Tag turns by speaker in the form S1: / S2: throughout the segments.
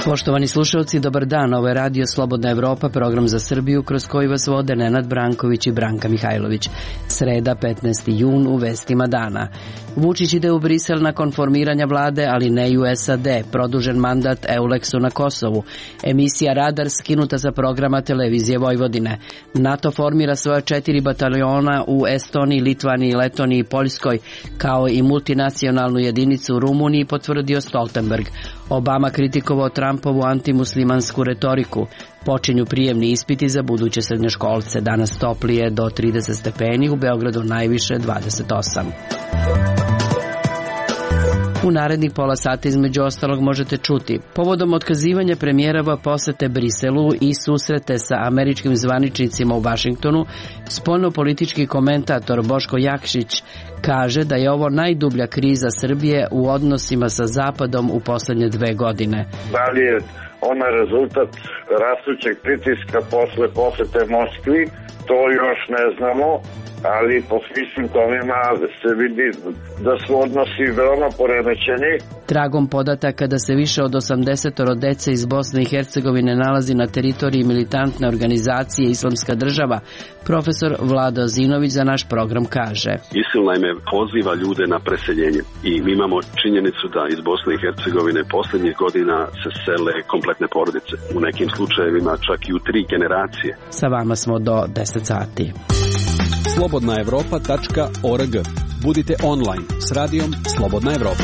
S1: Poštovani slušalci, dobar dan. Ovo je Radio Slobodna Evropa, program za Srbiju kroz koji vas vode Nenad Branković i Branka Mihajlović. Sreda, 15. jun, u vestima dana. Vučić ide u Brisel nakon formiranja vlade, ali ne i u SAD. Produžen mandat Euleksu na Kosovu. Emisija Radar skinuta sa programa Televizije Vojvodine. NATO formira svoja 4 bataljona u Estoniji, Litvaniji, Letoniji i Poljskoj, kao i multinacionalnu jedinicu u Rumuniji, potvrdio Stoltenberg. Obama kritikovao Trumpovu antimuslimansku retoriku. Počinju prijemni ispiti za buduće srednjoškolce. Danas toplije do 30 stepeni, u Beogradu najviše 28. U narednih pola sata između ostalog možete čuti: povodom otkazivanja premijerova posete Briselu i susrete sa američkim zvaničnicima u Vašingtonu, spoljnopolitički komentator Boško Jakšić kaže da je ovo najdublja kriza Srbije u odnosima sa Zapadom u poslednje 2 godine.
S2: Da li je ona rezultat rastućeg pritiska posle posete Moskvi, to još ne znamo, ali po svim simptomima se vidi da su odnosi veoma poremećeni.
S1: Tragom podataka da se više od 80 dece iz Bosne i Hercegovine nalazi na teritoriji militantne organizacije Islamska država, profesor Vlado Zinović za naš program kaže:
S3: ISIL naime poziva ljude na preseljenje i mi imamo činjenicu da iz Bosne i Hercegovine posljednjih godina se sele kompletne porodice. U nekim slučajevima čak i u 3 generacije.
S1: Sa vama smo do 10 sati.
S4: slobodnaevropa.org. Budite online s radijom Slobodna Evropa.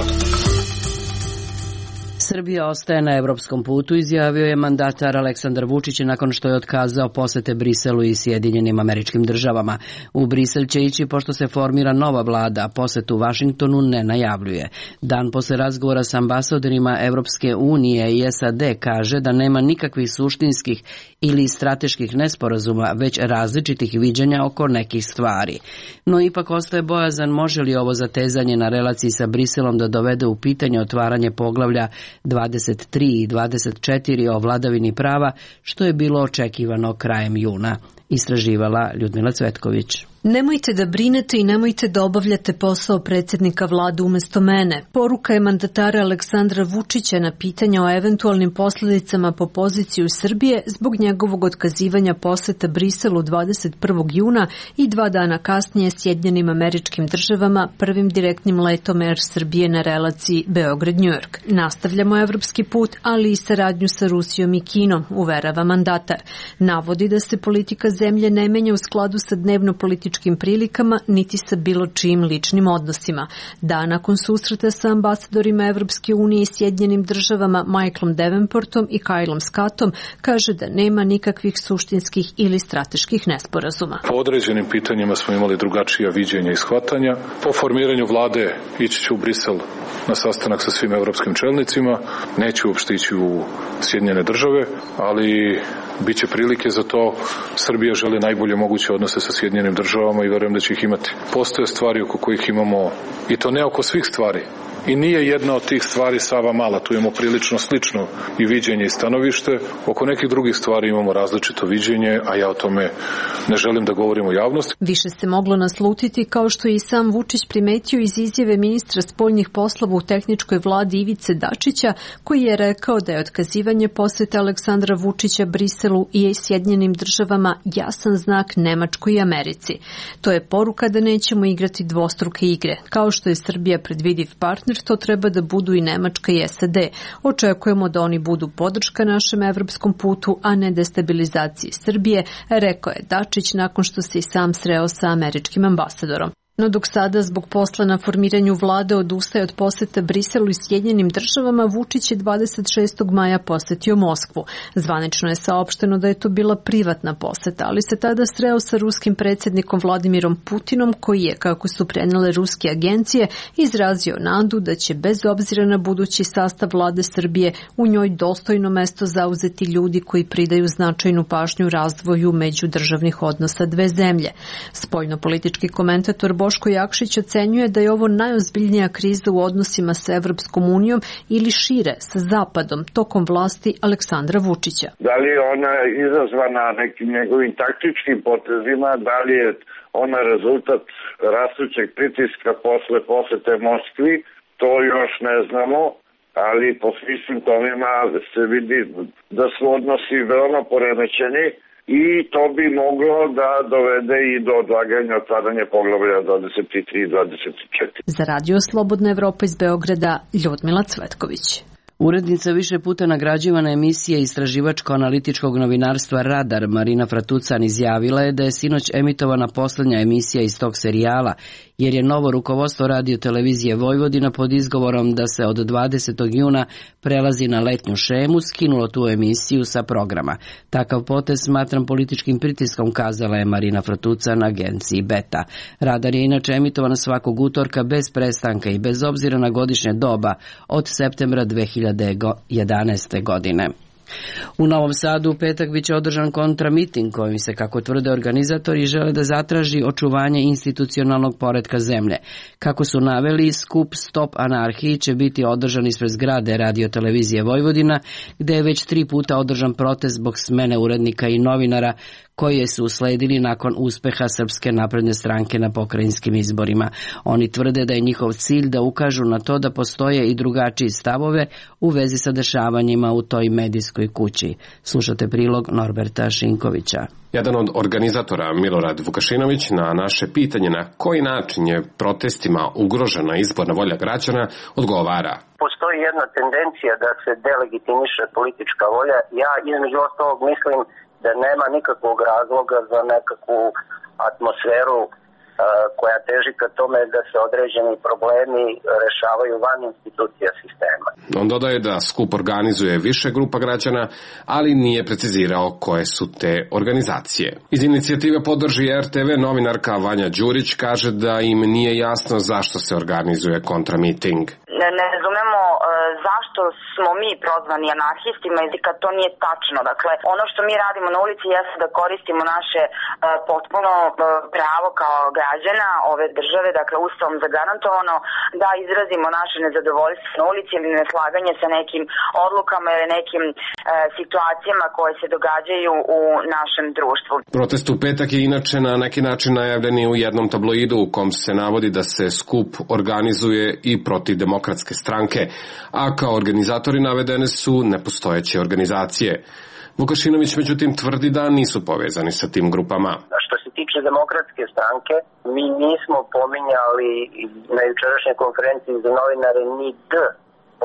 S1: Srbija ostaje na evropskom putu, izjavio je mandatar Aleksandar Vučić nakon što je otkazao posete Briselu i Sjedinjenim Američkim Državama. U Brisel će ići pošto se formira nova vlada, a posetu Vašingtonu ne najavljuje. Dan posle razgovora s ambasadorima Evropske unije i SAD kaže da nema nikakvih suštinskih ili strateških nesporazuma, već različitih viđenja oko nekih stvari. No ipak ostaje bojazan može li ovo zatezanje na relaciji sa Briselom da dovede u pitanje otvaranje poglavlja 23 i 24 o vladavini prava, što je bilo očekivano krajem juna. Istraživala Ljudmila Cvetković.
S5: Nemojte da brinete i nemojte da obavljate posao predsjednika vlade umjesto mene. Poruka je mandatara Aleksandra Vučića na pitanje o eventualnim posljedicama po poziciju Srbije zbog njegovog otkazivanja poseta Briselu 21. juna i 2 dana kasnije Sjedinjenim Američkim Državama prvim direktnim letom Air Srbije na relaciji Beograd-New York. Nastavljamo evropski put, ali i saradnju sa Rusijom i Kinom, uverava mandatar. Navodi da se politika zemlje ne menja u skladu sa dnevno-političkim prilikama, niti sa bilo čijim ličnim odnosima. Dan nakon susreta sa ambasadorima Evropske unije i Sjedinjenim Državama Michaelom Davenportom i Kylom Scottom kaže da nema nikakvih suštinskih ili strateških nesporazuma.
S6: Po određenim pitanjima smo imali drugačija viđenja i shvatanja. Po formiranju vlade ići ću u Brisel na sastanak sa svim evropskim čelnicima. Neću uopšte ići u Sjedinjene Države, ali bit će prilike za to. Srbija želi najbolje moguće odnose sa Sjedinjenim Državama i verujem da će ih imati. Postoje stvari oko kojih imamo, i to ne oko svih stvari. I nije jedna od tih stvari Sava mala, tu imamo prilično slično i viđenje i stanovište. Oko nekih drugih stvari imamo različito viđenje, a ja o tome ne želim da govorim u javnosti.
S5: Više se moglo naslutiti, kao što je i sam Vučić primetio iz izjave ministra spoljnih poslova u tehničkoj vladi Ivice Dačića, koji je rekao da je otkazivanje posete Aleksandra Vučića Briselu i Sjedinjenim Državama jasan znak Nemačkoj i Americi. To je poruka da nećemo igrati dvostruke igre. Kao što je Srbija predvidiv partner, to treba da budu i Nemačka i SAD. Očekujemo da oni budu podrška našem evropskom putu, a ne destabilizaciji Srbije, rekao je Dačić nakon što se i sam sreo sa američkim ambasadorom. No dok sada zbog posla na formiranju vlade odustaje od poseta Briselu i Sjedinjenim Državama, Vučić je 26. maja posetio Moskvu. Zvanično je saopšteno da je to bila privatna poseta, ali se tada sreo sa ruskim predsjednikom Vladimirom Putinom, koji je, kako su prenijele ruske agencije, izrazio nadu da će bez obzira na budući sastav vlade Srbije u njoj dostojno mesto zauzeti ljudi koji pridaju značajnu pažnju razvoju međudržavnih odnosa dve zemlje. Spoljnopolitički komentator Boško Jakšić ocenjuje da je ovo najozbiljnija kriza u odnosima sa Evropskom unijom ili šire sa Zapadom tokom vlasti Aleksandra Vučića.
S2: Da li je ona izazvana nekim njegovim taktičkim potezima, da li je ona rezultat rastućeg pritiska posle posete Moskvi, to još ne znamo, ali po svim simptomima se vidi da su odnosi veoma poremećeni i to bi moglo da dovede i do odlaganja otvaranja poglavlja 23 i 24.
S5: Za Radio Slobodna Evropa iz Beograda, Ljudmila Cvetković.
S1: Urednica više puta nagrađivana emisije istraživačko-analitičkog novinarstva Radar Marina Fratucan izjavila je da je sinoć emitovana poslednja emisija iz tog serijala, jer je novo rukovodstvo Radio televizije Vojvodina pod izgovorom da se od 20. juna prelazi na letnju šemu skinulo tu emisiju sa programa. Takav potez smatram političkim pritiskom, kazala je Marina Fratucan agenciji Beta. Radar je inače emitovan svakog utorka bez prestanka i bez obzira na godišnje doba od septembra 2011. godine. U Novom Sadu u petak biće održan kontramiting kojim se, kako tvrde organizatori, žele da zatraži očuvanje institucionalnog poretka zemlje. Kako su naveli, skup Stop anarhiji će biti održan ispred zgrade Radio televizije Vojvodina, gde je već 3 puta održan protest zbog smene urednika i novinara koje su usledili nakon uspeha Srpske napredne stranke na pokrajinskim izborima. Oni tvrde da je njihov cilj da ukažu na to da postoje i drugačiji stavove u vezi sa dešavanjima u toj medijskoj kući. Slušate prilog Norberta Šinkovića.
S7: Jedan od organizatora, Milorad Vukašinović, na naše pitanje na koji način je protestima ugrožena izborna volja građana, odgovara.
S8: Postoji jedna tendencija da se delegitimiše politička volja. Ja između ostalog mislim da nema nikakvog razloga za nekakvu atmosferu koja teži ka tome da se određeni problemi rešavaju van institucija sistema.
S7: On dodaje da skup organizuje više grupa građana, ali nije precizirao koje su te organizacije. Iz inicijative Podrži RTV novinarka Vanja Đurić kaže da im nije jasno zašto se organizuje kontramiting.
S9: Ne razumemo zašto smo mi prozvani anarhistima i kad to nije tačno. Dakle, ono što mi radimo na ulici jeste da koristimo naše potpuno pravo kao građana ove države, dakle Ustavom zagarantovano, da izrazimo naše nezadovoljstvo na ulici ili neslaganje sa nekim odlukama ili nekim situacijama koje se događaju u našem društvu.
S7: Protest u petak je inače na neki način najavljen u jednom tabloidu u kom se navodi da se skup organizuje i protiv Demokratske stranke, a kao organizatori navedene su nepostojeće organizacije. Vukašinović međutim tvrdi da nisu povezani sa tim grupama.
S8: Što se tiče Demokratske stranke, mi nismo pominjali na jučerašnjoj konferenciji za novinare ni D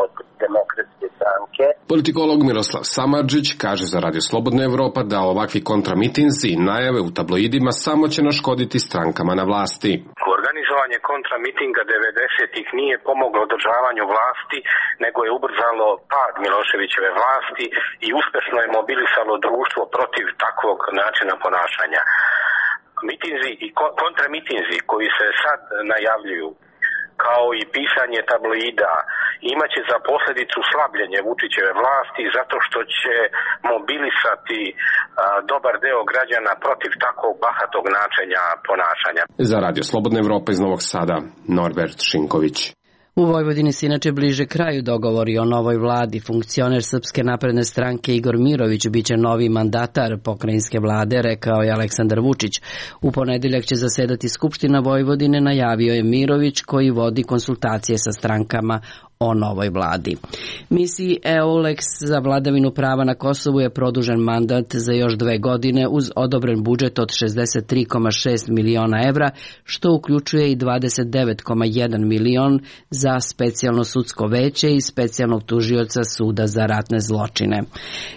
S8: od Demokratske stranke.
S7: Politikolog Miroslav Samardžić kaže za Radio Slobodna Evropa da ovakvi kontramitinzi i najave u tabloidima samo će naškoditi strankama na vlasti.
S10: Organizovanje kontramitinga 90-ih nije pomoglo održavanju vlasti, nego je ubrzalo pad Miloševićeve vlasti i uspešno je mobilisalo društvo protiv takvog načina ponašanja. Mitinzi i kontramitinzi koji se sad najavljuju, kao i pisanje tabloida, imaće za posljedicu slabljenje Vučićeve vlasti zato što će mobilisati dobar deo građana protiv takvog bahatog načina ponašanja.
S7: Za Radio Slobodna Evropa iz Novog Sada, Norbert Šinković.
S1: U Vojvodini se inače bliže kraju dogovori o novoj vladi. Funkcioner Srpske napredne stranke Igor Mirović biće novi mandatar pokrajinske vlade, rekao je Aleksandar Vučić. U ponedeljak će zasedati Skupština Vojvodine, najavio je Mirović, koji vodi konsultacije sa strankama o novoj vladi. Misiji EULEX za vladavinu prava na Kosovu je produžen mandat za još 2 godine uz odobren budžet od 63,6 miliona evra, što uključuje i 29,1 milion za specijalno sudsko veće i specijalnog tužioca Suda za ratne zločine.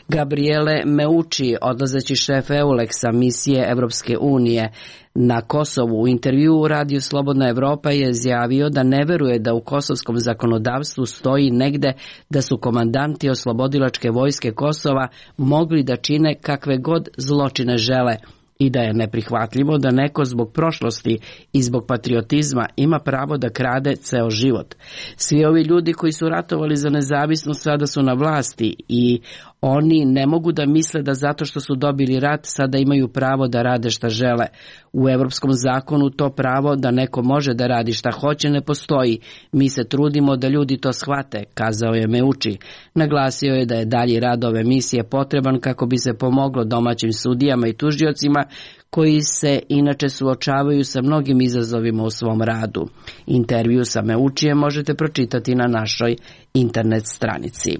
S1: Gabriele Meucci, odlazeći šef EULEX-a misije Evropske unije na Kosovu, u intervju u Radiju Slobodna Evropa je izjavio da ne veruje da u kosovskom zakonodavstvu stoji negde da su komandanti oslobodilačke vojske Kosova mogli da čine kakve god zločine žele i da je neprihvatljivo da neko zbog prošlosti i zbog patriotizma ima pravo da krade ceo život. Svi ovi ljudi koji su ratovali za nezavisnost sada su na vlasti i Oni ne mogu da misle da zato što su dobili rat sada imaju pravo da rade šta žele. U evropskom zakonu to pravo da neko može da radi šta hoće ne postoji. Mi se trudimo da ljudi to shvate, kazao je Meucci. Naglasio je da je dalji rad ove misije potreban kako bi se pomoglo domaćim sudijama i tužiocima koji se inače suočavaju sa mnogim izazovima u svom radu. Intervju sa Meuccijem možete pročitati na našoj internet stranici.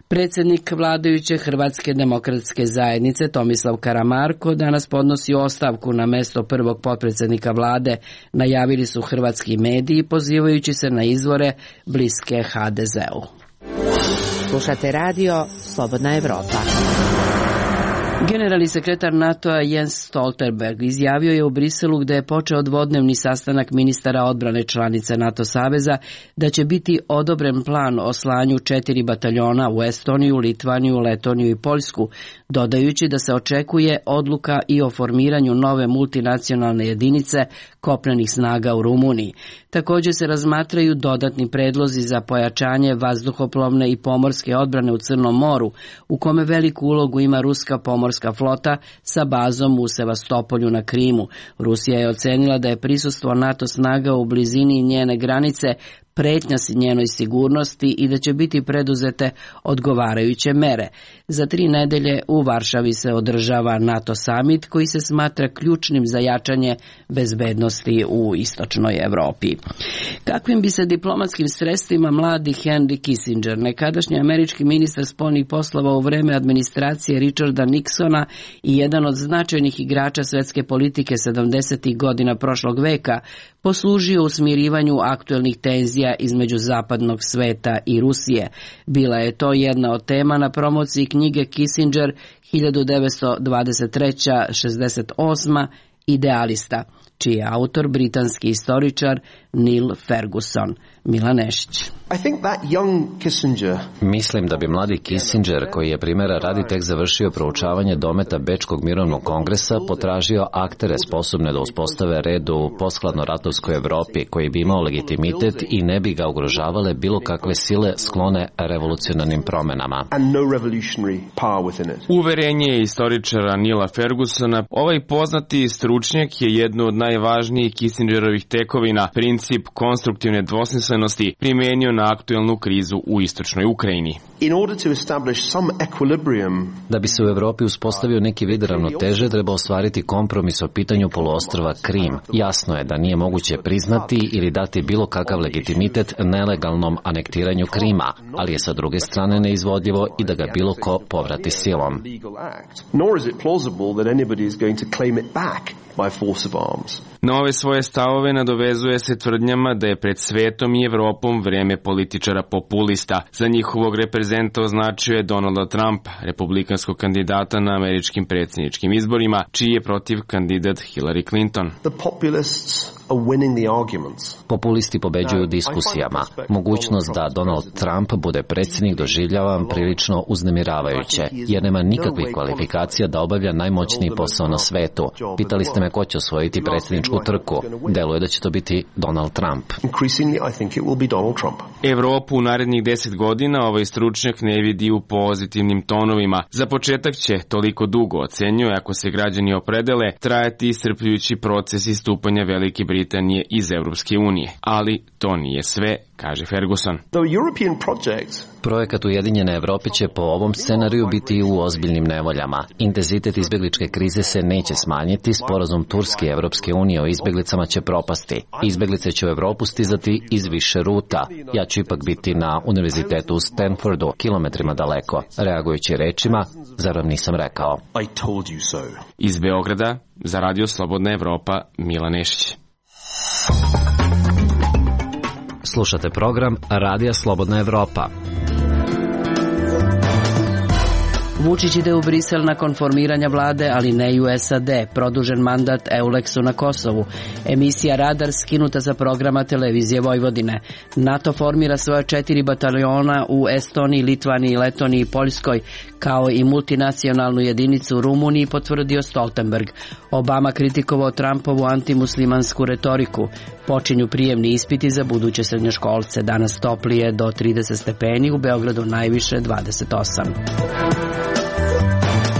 S1: Predsjednik vladajuće Hrvatske demokratske zajednice Tomislav Karamarko danas podnosi ostavku na mesto prvog potpredsjednika vlade, najavili su hrvatski mediji pozivajući se na izvore bliske HDZ-u.
S11: Slušate radio Slobodna Evropa.
S1: Generalni sekretar NATO-a Jens Stoltenberg izjavio je u Briselu, gde je počeo dvodnevni sastanak ministara odbrane članice NATO saveza, da će biti odobren plan o slanju 4 bataljona u Estoniju, Litvaniju, Letoniju i Poljsku, dodajući da se očekuje odluka i o formiranju nove multinacionalne jedinice kopnenih snaga u Rumuniji. Također se razmatraju dodatni predlozi za pojačanje vazduhoplovne i pomorske odbrane u Crnom moru, u kome veliku ulogu ima ruska pomorska flota sa bazom u Sevastopolju na Krimu. Rusija je ocenila da je prisustvo NATO snaga u blizini njene granice pretnja njenoj sigurnosti i da će biti preduzete odgovarajuće mere. Za 3 nedelje u Varšavi se održava NATO summit koji se smatra ključnim za jačanje bezbednosti u istočnoj Evropi. Kakvim bi se diplomatskim sredstvima mladi Henry Kissinger, nekadašnji američki ministar spoljnih poslova u vreme administracije Richarda Nixona i jedan od značajnih igrača svetske politike 70. godina prošlog veka, poslužio u smirivanju aktuelnih tenzija između zapadnog sveta i Rusije. Bila je to jedna od tema na promociji knjige Kissinger 1923-68 Idealista, čiji je autor britanski istoričar Neil Ferguson. Milan Nešić.
S12: Mislim da bi mladi Kissinger, koji je primjera radi tek završio proučavanje dometa Bečkog mirovnog kongresa, potražio aktere sposobne da uspostave red u posthladnoratovskoj Evropi, koji bi imao legitimitet i ne bi ga ugrožavale bilo kakve sile sklone revolucionarnim promenama.
S13: Uverenje istoričara Nila Fergusona, ovaj poznati stručnjak je jedno od najvažnijih Kissingerovih tekovina, princip konstruktivne dvosmislenosti, primenio na aktuelnu krizu u istočnoj Ukrajini.
S12: Da bi se u Evropi uspostavio neki vid ravnoteže, treba ostvariti kompromis o pitanju poluostrva Krim. Jasno je da nije moguće priznati ili dati bilo kakav legitimitet nelegalnom anektiranju Krima, ali je sa druge strane neizvodljivo i da ga bilo ko povrati silom.
S13: Na ove svoje stavove nadovezuje se tvrdnjama da je pred svetom i Evropom vreme političara populista. Za njihovog reprezenta označio je Donalda Trumpa, republikanskog kandidata na američkim predsjedničkim izborima, čiji je protiv kandidat Hillary Clinton.
S12: Populisti pobeđuju diskusijama. Mogućnost da Donald Trump bude predsjednik doživljavam prilično uznemiravajuće, jer nema nikakvih kvalifikacija da obavlja najmoćniji posao na svetu. Pitali ste me ko će osvojiti predsjedničku trku. Deluje da će to biti Donald Trump.
S13: Evropu u narednih 10 godina ovaj stručnjak ne vidi u pozitivnim tonovima. Za početak će, toliko dugo ocenjuje, ako se građani opredele, trajati iscrpljujući proces istupanja Velike Britanije iz Europske unije. Ali to nije sve, kaže Ferguson.
S12: Projekat Ujedinjene Evrope će po ovom scenariju biti u ozbiljnim nevoljama. Intenzitet izbjegličke krize se neće smanjiti, sporazum Turske i Evropske unije o izbjeglicama će propasti. Izbjeglice će u Evropu stizati iz više ruta. Ja ću ipak biti na univerzitetu u Stanfordu, kilometrima daleko. Reagujući rečima, zar vam nisam rekao?
S13: Iz Beograda, za Radio Slobodna Evropa, Milan Nešić.
S12: Slušate program Radija Slobodna Evropa.
S1: Vučić ide u Brisel nakon formiranja vlade, ali ne i u SAD. Produžen mandat Euleksu na Kosovu. Emisija Radar skinuta sa programa televizije Vojvodine. NATO formira svoje 4 bataljona u Estoniji, Litvaniji, Letoniji i Poljskoj, kao i multinacionalnu jedinicu u Rumuniji, potvrdio Stoltenberg. Obama kritikovao Trumpovu antimuslimansku retoriku. Počinju prijemni ispiti za buduće srednjoškolce. Danas toplije do 30 stepeni, u Beogradu najviše 28.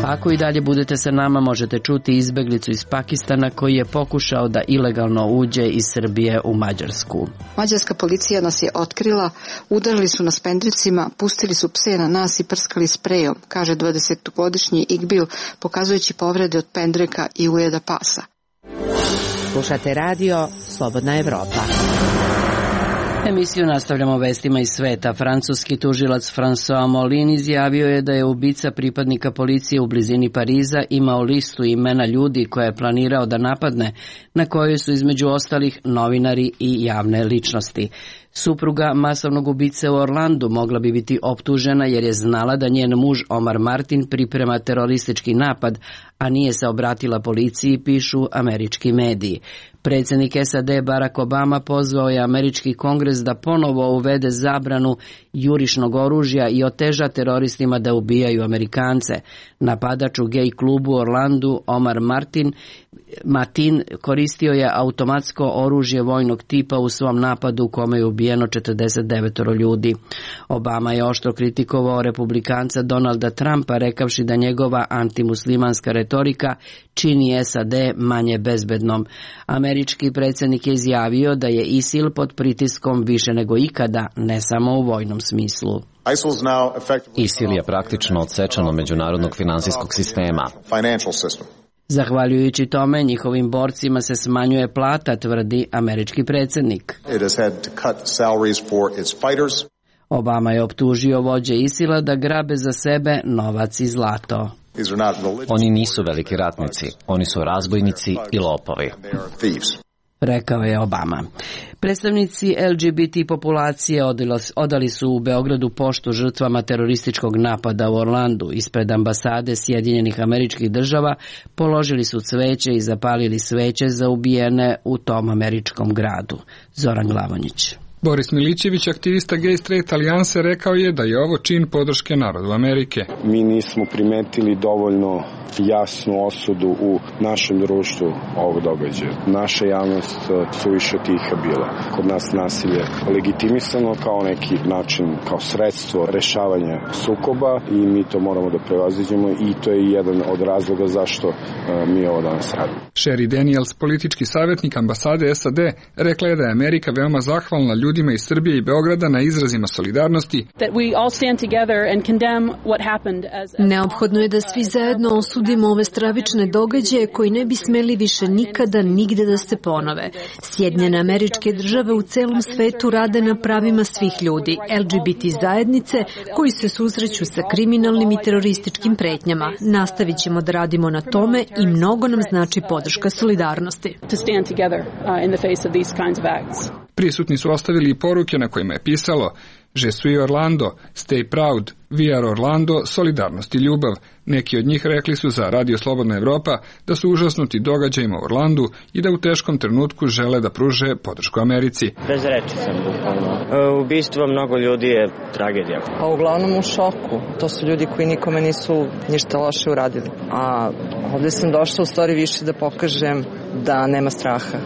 S1: Ako i dalje budete sa nama, možete čuti izbeglicu iz Pakistana koji je pokušao da ilegalno uđe iz Srbije u Mađarsku.
S14: Mađarska policija nas je otkrila, udarili su nas pendricima, pustili su pse na nas i prskali sprejom, kaže 20-godišnji Igbil, pokazujući povrede od pendreka i ujeda pasa.
S11: Slušate radio Slobodna Evropa.
S1: Emisiju nastavljamo vestima iz sveta. Francuski tužilac François Molin izjavio je da je ubica pripadnika policije u blizini Pariza imao listu imena ljudi koje je planirao da napadne, na kojoj su između ostalih novinari i javne ličnosti. Supruga masovnog ubice u Orlandu mogla bi biti optužena jer je znala da njen muž Omar Martin priprema teroristički napad, a nije se obratila policiji, pišu američki mediji. Predsjednik SAD Barack Obama pozvao je američki kongres da ponovo uvede zabranu jurišnog oružja i oteža teroristima da ubijaju Amerikance. Napadač u gej klubu u Orlandu Omar Martin koristio je automatsko oružje vojnog tipa u svom napadu u kome je ubijeno 49 ljudi. Obama je oštro kritikovao republikanca Donalda Trumpa, rekavši da njegova antimuslimanska retorika čini SAD manje bezbednom. Američki predsjednik je izjavio da je ISIL pod pritiskom više nego ikada, ne samo u vojnom smislu.
S12: ISIL je praktično odsečen od međunarodnog finansijskog sistema.
S1: Zahvaljujući tome, njihovim borcima se smanjuje plata, tvrdi američki predsjednik. Obama je optužio vođe ISIL-a da grabe za sebe novac i zlato.
S12: Oni nisu veliki ratnici, oni su razbojnici i lopovi,
S1: rekao je Obama. Predstavnici LGBT populacije odali su u Beogradu poštu žrtvama terorističkog napada u Orlandu. Ispred ambasade Sjedinjenih Američkih Država položili su cveće i zapalili sveće za ubijene u tom američkom gradu. Zoran Glavonjić.
S15: Boris Milićević, aktivista Gay Straight Alijanse, rekao je da je ovo čin podrške narodu Amerike.
S16: Mi nismo primetili dovoljno jasnu osudu u našem društvu ovog događaja. Naša javnost suviše tiha bila. Kod nas nasilje legitimisano kao neki način, kao sredstvo rešavanja sukoba i mi to moramo da prevaziđemo i to je jedan od razloga zašto mi ovo danas radimo.
S15: Sherry Daniels, politički savjetnik ambasade SAD, rekla je da je Amerika veoma zahvalna ljudima iz Srbije i Beograda na izrazima solidarnosti.
S5: Neophodno je da svi zajedno osudimo ove stravične događaje koji ne bi smeli više nikada nigde da se ponove. Sjedinjene Američke Države u celom svetu rade na pravima svih ljudi, LGBT zajednice koji se susreću sa kriminalnim i terorističkim pretnjama. Nastavit ćemo da radimo na tome i mnogo nam znači podrška solidarnosti.
S15: Prisutni su ostavili i poruke na kojima je pisalo Je suis Orlando, stay proud, we are Orlando, solidarnost i ljubav. Neki od njih rekli su za Radio Slobodna Evropa da su užasnuti događajima u Orlandu i da u teškom trenutku žele da pruže podršku Americi.
S17: Bez reči sam bukvalno. Ubistvo mnogo ljudi je tragedija.
S18: A uglavnom u šoku. To su ljudi koji nikome nisu ništa loše uradili. A ovdje sam došla u stvari više da pokažem da nema straha.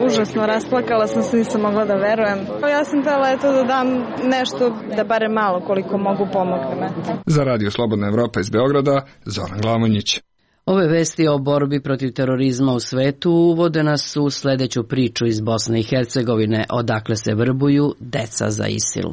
S19: Užasno, rasplakala sam se, nisam mogla da verujem. Ja sam htjela da dam nešto, da bare malo koliko mogu pomogne.
S15: Za Radio Slobodna Evropa iz Beograda, Zoran Glavonjić.
S1: Ove vesti o borbi protiv terorizma u svetu uvode nas u sledeću priču iz Bosne i Hercegovine, odakle se vrbuju deca za ISIL.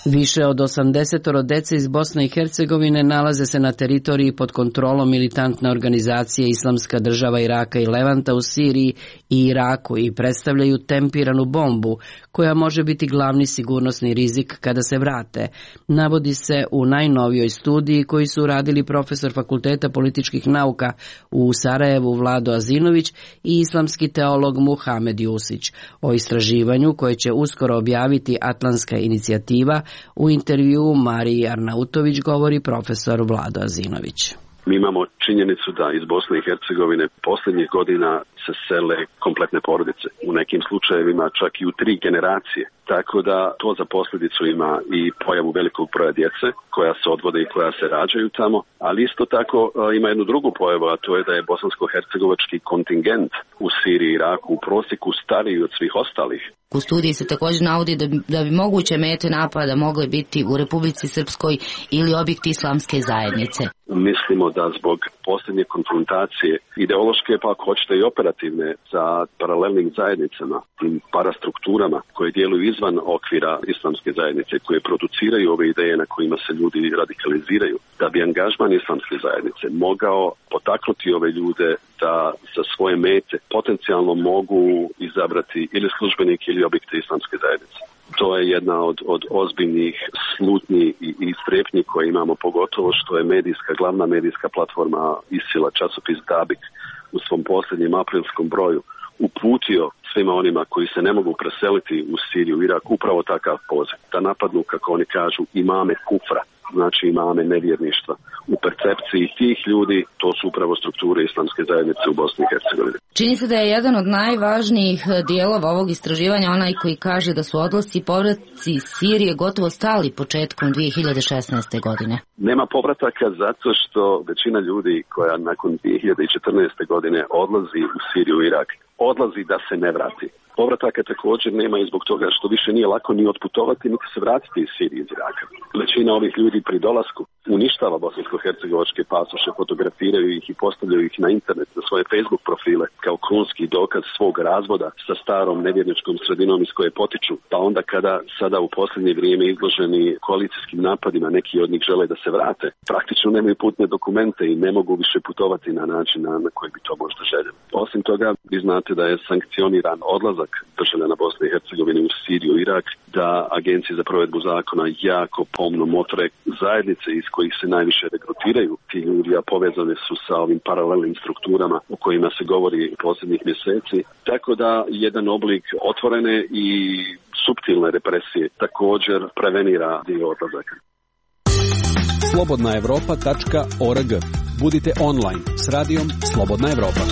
S1: Više od 80 dece iz Bosne i Hercegovine nalaze se na teritoriji pod kontrolom militantne organizacije Islamska država Iraka i Levanta u Siriji i Iraku i predstavljaju tempiranu bombu koja može biti glavni sigurnosni rizik kada se vrate. Navodi se u najnovijoj studiji koju su uradili profesor Fakulteta političkih nauka u Sarajevu Vlado Azinović i islamski teolog Muhamed Jusić. O istraživanju koje će uskoro objaviti Atlantska inicijativa u intervjuu Mariji Arnautović govori profesor Vlado Azinović.
S3: Mi imamo činjenicu da iz Bosne i Hercegovine posljednjih godina se sele kompletne porodice. U nekim slučajevima čak i u 3 generacije. Tako da to za posljedicu ima i pojavu velikog broja djece koja se odvode i koja se rađaju tamo, ali isto tako ima jednu drugu pojavu, a to je da je bosansko-hercegovački kontingent u Siriji i Iraku u prosjeku stariji od svih ostalih.
S20: U studiji se također navodi da bi moguće mete napada mogle biti u Republici Srpskoj ili objekti islamske zajednice.
S3: Mislimo da zbog posljednje konfrontacije ideološke, pa ako hoćete i operativne, sa paralelnim zajednicama, tim parastrukturama koje djeluju izvan okvira islamske zajednice, koje produciraju ove ideje na kojima se ljudi radikaliziraju, da bi angažman islamske zajednice mogao potaknuti ove ljude da za svoje mete potencijalno mogu izabrati ili službenike ili objekte islamske zajednice. To je jedna od ozbiljnih slutnji i strepnji koje imamo, pogotovo što je glavna medijska platforma ISIL-a, časopis Dabik, u svom posljednjem aprilskom broju uputio svima onima koji se ne mogu preseliti u Siriju i Irak upravo takav poziv, da napadnu, kako oni kažu, imame kufra, znači imame nevjerništva. U percepciji tih ljudi to su upravo strukture islamske zajednice u Bosni i Hercegovini.
S20: Čini se da je jedan od najvažnijih dijelova ovog istraživanja onaj koji kaže da su odlasci i povratci iz Sirije gotovo stali početkom 2016. godine.
S3: Nema povrataka zato što većina ljudi koja nakon 2014. godine odlazi u Siriju i Irak, odlazi da se ne vrati. Povrataka također nema i zbog toga što više nije lako ni otputovati, niti se vratiti iz Sirije iz Iraka. Većina ovih ljudi pri dolasku uništava bosansko-hercegovačke pasoše, fotografiraju ih i postavljaju ih na internet, na svoje Facebook profile kao krunski dokaz svog razvoda sa starom nevjerničkom sredinom iz koje potiču. Pa onda kada sada u posljednje vrijeme izloženi koalicijskim napadima, neki od njih žele da se vrate, praktično nemaju putne dokumente i ne mogu više putovati na način na koji bi to možda željeli. Osim toga, vi znate da je sankcioniran odlazak državljana Bosne i Hercegovine u Siriju i Irak, da agencije za provedbu zakona jako pomno motre zajednice iz kojih se najviše regrutiraju ti ljudi, a povezane su sa ovim paralelnim strukturama o kojima se govori posljednjih mjeseci. Tako da jedan oblik otvorene i suptilne represije također prevenira dio odlazaka.
S4: Slobodnaevropa.org. Budite online s radijom Slobodna Evropa.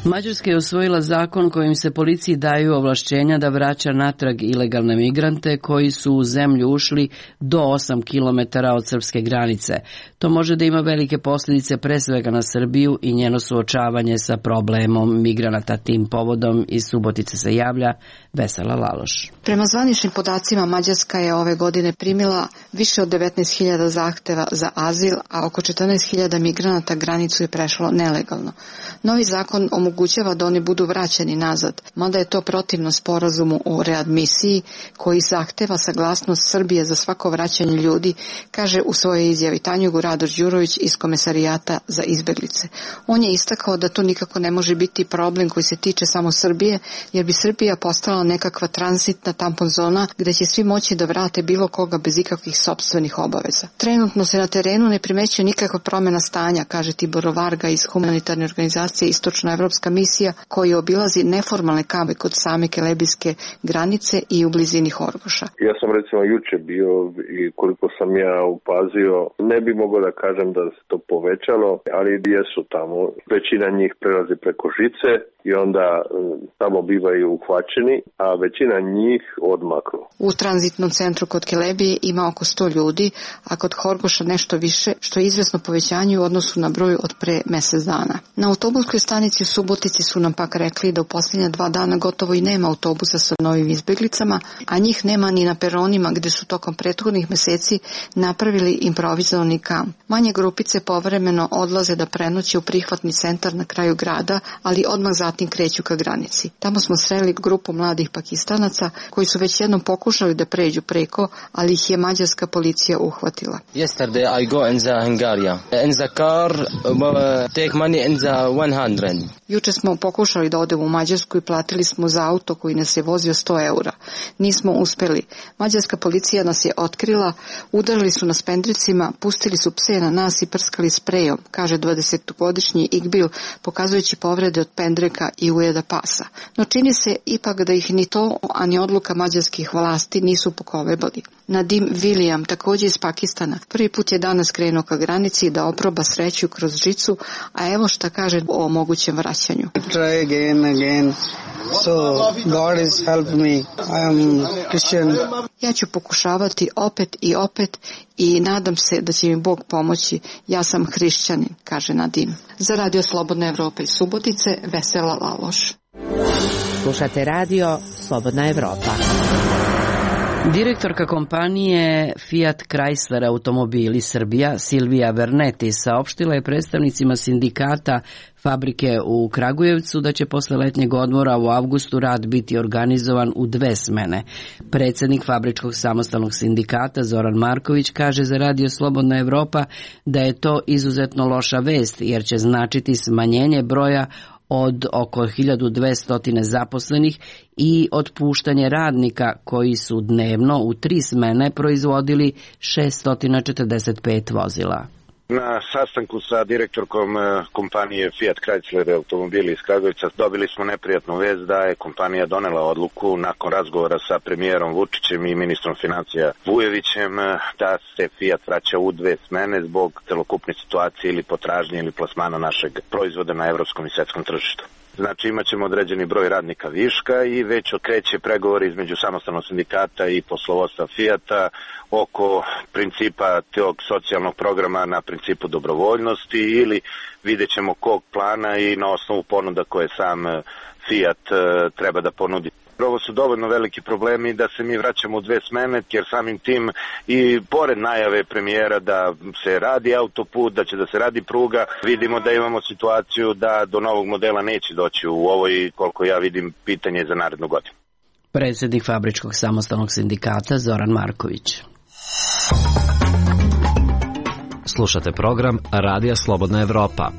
S1: Mađarska je usvojila zakon kojim se policiji daju ovlašćenja da vraća natrag ilegalne migrante koji su u zemlju ušli do 8 km od srpske granice. To može da ima velike posljedice pre svega na Srbiju i njeno suočavanje sa problemom migranata. Tim povodom iz Subotice se javlja Vesela Laloš.
S14: Prema zvaničnim podacima Mađarska je ove godine primila više od 19.000 zahteva za azil, a oko 14.000 migranata granicu je prešlo nelegalno. Novi zakon omogućava da oni budu vraćeni nazad, mada je to protivno sporazumu o readmisiji koji zahteva saglasnost Srbije za svako vraćanje ljudi, kaže u svojoj izjavi Tanjugu Radoš Đurović iz Komesarijata za izbeglice. On je istakao da to nikako ne može biti problem koji se tiče samo Srbije, jer bi Srbija postala nekakva tranzitna tampon zona gde će svi moći da vrate bilo koga bez ikakvih sopstvenih obaveza. Trenutno se na terenu ne primećuje nikakva promjena stanja, kaže Tibor Varga iz humanitarne organizacije Istočnoevropska misija, koji obilazi neformalne kampe kod same kelebijske granice i u blizini Horgoša.
S2: Ja sam recimo juče bio i koliko sam ja upazio, ne bi mogao da kažem da se to povećalo, ali jesu tamo. Većina njih prelazi preko žice i onda tamo bivaju uhvaćeni, a većina njih odmaknu.
S14: U tranzitnom centru kod Kelebije ima oko 100 ljudi, a kod Horgoša nešto više, što je izvesno povećanje u odnosu na broj od pre mjesec dana. Na autobuskoj stanici u Subotici su nam pak rekli da u posljednja 2 dana gotovo i nema autobusa sa novim izbjeglicama, a njih nema ni na peronima gdje su tokom prethodnih mjeseci napravili improvizovani kamp. Manje grupice povremeno odlaze da prenoće u prihvatni centar na kraju grada, ali odmah zatim kreću ka granici. Tamo smo sreli grupu mladih Pakistanaca koji su već jednom pokušali da pređu preko, ali ih je mađarska policija uhvatila.
S21: Yesterday I go in the Hungary. In the car take money in the 100.
S14: Juče smo pokušali da odemo u Mađarsku i platili smo za auto koji nas je vozio 100 eura. Nismo uspeli. Mađarska policija nas je otkrila, udarili su nas pendricima, pustili su pse na nas i prskali sprejom, kaže 20-godišnji Igbil, pokazujući povrede od pendreka Pendreka i Ujeda Pasa. No čini se ipak da ih ni to, a ni odluka mađarskih vlasti nisu pokolebali. Nadim William, također iz Pakistana, prvi put je danas krenuo ka granici da oproba sreću kroz žicu, a evo šta kaže o mogućem vraćanju.
S6: Try again. So God has helped me. I am Christian.
S14: Ja ću pokušavati opet i opet i nadam se da će mi Bog pomoći. Ja sam hrišćanin, kaže Nadim. Za Radio Slobodna Evropa iz Subotice, Vesela Laloš.
S11: Slušate radio Slobodna Evropa.
S1: Direktorka kompanije Fiat Chrysler Automobili Srbija Silvija Verneti saopštila je predstavnicima sindikata fabrike u Kragujevcu da će posle letnjeg odmora u avgustu rad biti organizovan u 2 smene. Predsednik Fabričkog samostalnog sindikata Zoran Marković kaže za Radio Slobodna Evropa da je to izuzetno loša vest jer će značiti smanjenje broja od oko 1200 zaposlenih i otpuštanje radnika koji su dnevno u 3 smene proizvodili 645 vozila.
S22: Na sastanku sa direktorkom kompanije Fiat Chrysler Automobili iz Kragujevca dobili smo neprijatnu vest da je kompanija donela odluku nakon razgovora sa premijerom Vučićem i ministrom financija Vujevićem da se Fiat vraća u 2 smene zbog celokupne situacije ili potražnje ili plasmana našeg proizvoda na evropskom i svetskom tržištu. Znači imat ćemo određeni broj radnika viška i već okreće pregovori između samostalnog sindikata i poslovodstva Fijata oko principa tog socijalnog programa na principu dobrovoljnosti ili vidjet ćemo kog plana i na osnovu ponuda koje sam Fijat treba da ponudi. Ovo su dovoljno veliki problemi da se mi vraćamo u 2 smene, jer samim tim i pored najave premijera da se radi autoput, da će da se radi pruga, vidimo da imamo situaciju da do novog modela neće doći u ovoj, koliko ja vidim, pitanje za narednu godinu.
S1: Predsednik Fabričkog samostalnog sindikata Zoran Marković.
S12: Slušate program Radija Slobodna Evropa.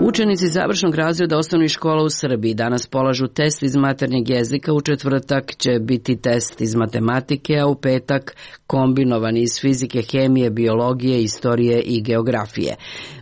S1: Učenici završnog razreda osnovnih škola u Srbiji danas polažu test iz maternjeg jezika, u četvrtak će biti test iz matematike, a u petak kombinovani iz fizike, hemije, biologije, istorije i geografije.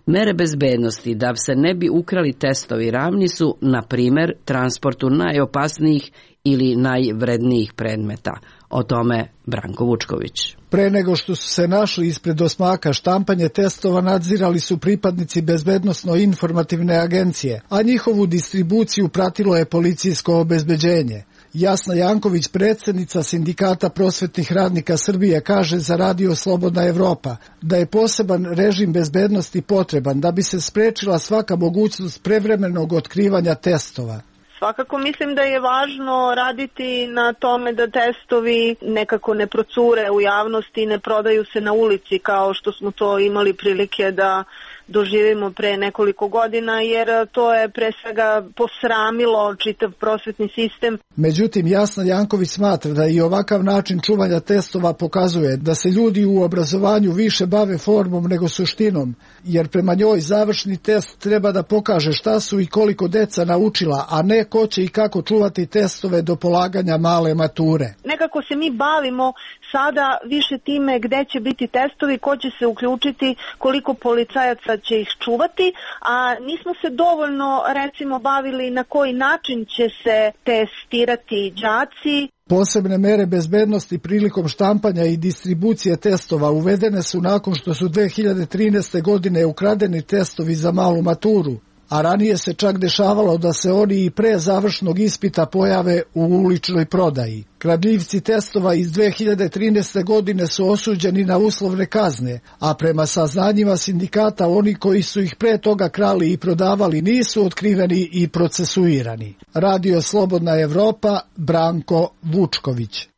S1: Mere bezbednosti da se ne bi ukrali testovi ravni su, na primer, transportu najopasnijih ili najvrednijih predmeta. O tome Branko Vučković.
S23: Pre nego što su se našli ispred osmaka štampanje testova nadzirali su pripadnici bezbednosno-informativne agencije, a njihovu distribuciju pratilo je policijsko obezbeđenje. Jasna Janković, predsednica Sindikata prosvetnih radnika Srbije, kaže za Radio Slobodna Evropa da je poseban režim bezbednosti potreban da bi se sprečila svaka mogućnost prevremenog otkrivanja testova.
S24: Svakako mislim da je važno raditi na tome da testovi nekako ne procure u javnosti i ne prodaju se na ulici kao što smo to imali prilike da doživimo pre nekoliko godina, jer to je pre svega posramilo čitav prosvetni sistem.
S23: Međutim, Jasna Janković smatra da i ovakav način čuvanja testova pokazuje da se ljudi u obrazovanju više bave formom nego suštinom, jer prema njoj završni test treba da pokaže šta su i koliko deca naučila, a ne ko će i kako čuvati testove do polaganja male mature.
S24: Nekako se mi bavimo sada više time gde će biti testovi, ko će se uključiti, koliko policajaca će ih čuvati, a nismo se dovoljno recimo bavili na koji način će se testirati đaci.
S23: Posebne mere bezbednosti prilikom štampanja i distribucije testova uvedene su nakon što su 2013. godine ukradeni testovi za malu maturu, a ranije se čak dešavalo da se oni i pre završnog ispita pojave u uličnoj prodaji. Kradljivci testova iz 2013. godine su osuđeni na uslovne kazne, a prema saznanjima sindikata oni koji su ih pre toga krali i prodavali nisu otkriveni i procesuirani. Radio Slobodna Evropa, Branko Vučković.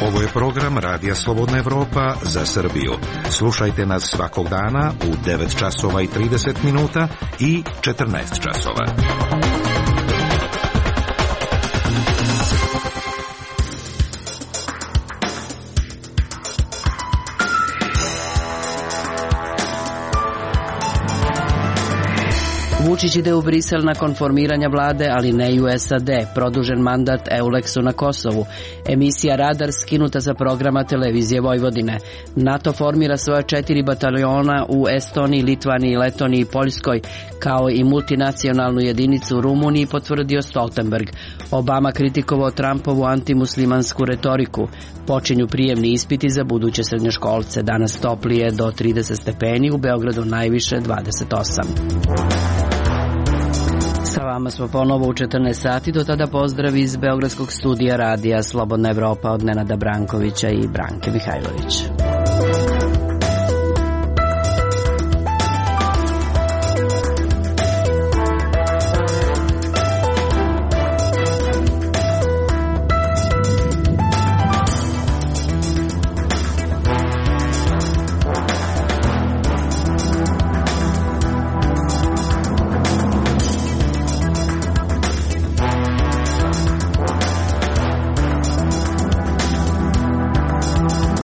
S25: Ovo je program Radija Slobodna Evropa za Srbiju. Slušajte nas svakog dana u 9 časova i 30 minuta i 14 časova.
S1: Vučić ide u Brisel nakon formiranja vlade, ali ne i u SAD. Produžen mandat Euleksu na Kosovu. Emisija Radar skinuta sa programa televizije Vojvodine. NATO formira svoje 4 bataljona u Estoniji, Litvaniji, Letoniji i Poljskoj, kao i multinacionalnu jedinicu u Rumuniji, potvrdio Stoltenberg. Obama kritikovao Trumpovu antimuslimansku retoriku. Počinju prijemni ispiti za buduće srednjoškolce. Danas toplije do 30 stepeni, u Beogradu najviše 28. Sa vama smo ponovo u 14 sati, do tada pozdrav iz Beogradskog studija radija Slobodna Evropa od Nenada Brankovića i Branke Mihajlović.